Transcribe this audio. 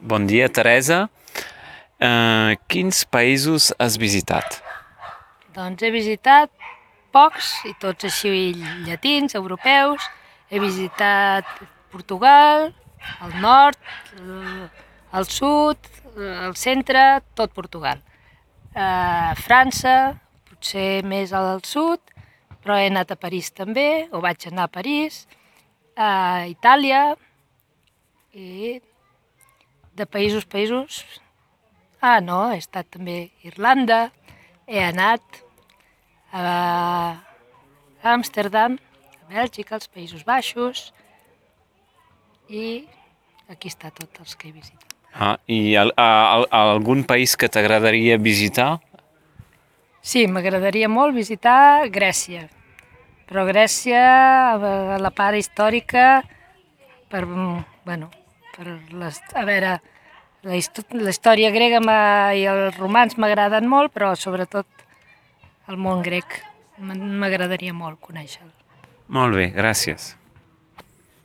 Bon dia, Teresa. Quins països has visitat? Doncs he visitat pocs, i tots així llatins, europeus. He visitat Portugal, el nord, el sud, el centre, tot Portugal. França, potser més al sud, però he anat a París també, o vaig anar a París, a Itàlia, i de països... no, he estat també a Irlanda, he anat a Amsterdam, a Bèlgica, als Països Baixos, i aquí està tot els que he visitat. I algun país que t'agradaria visitar? Sí, m'agradaria molt visitar Grècia, però Grècia, a la part històrica, per a veure, la història grega i els romans m'agraden molt, però sobretot el món grec m'agradaria molt conèixer-lo. Molt bé, gràcies.